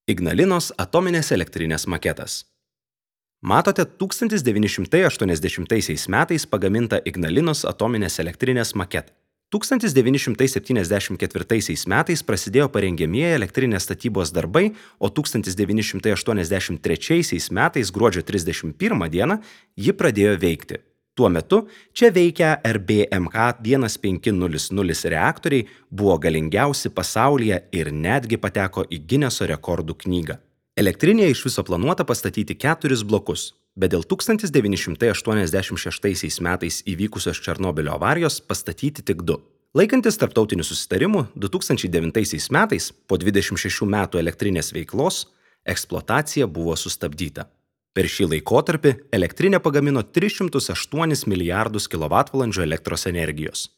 Ignalinos atominės elektrinės maketas. Matote 1980 metais pagamintą Ignalinos atominės elektrinės maketą. 1974 metais prasidėjo parengiamieji elektrinės statybos darbai, o 1983 metais gruodžio 31 dieną ji pradėjo veikti. Tuo metu čia veikę RBMK 1500 reaktoriai buvo galingiausi pasaulyje ir netgi pateko į Gineso rekordų knygą. Elektrinėje iš viso planuota pastatyti 4 blokus, bet dėl 1986 metais įvykusios Černobylio avarijos pastatyti tik 2. Laikantis tarptautinių susitarimų, 2009 metais, po 26 metų elektrinės veiklos, eksploatacija buvo sustabdyta. Per šį laikotarpį elektrinė pagamino 308 milijardus kWh elektros energijos.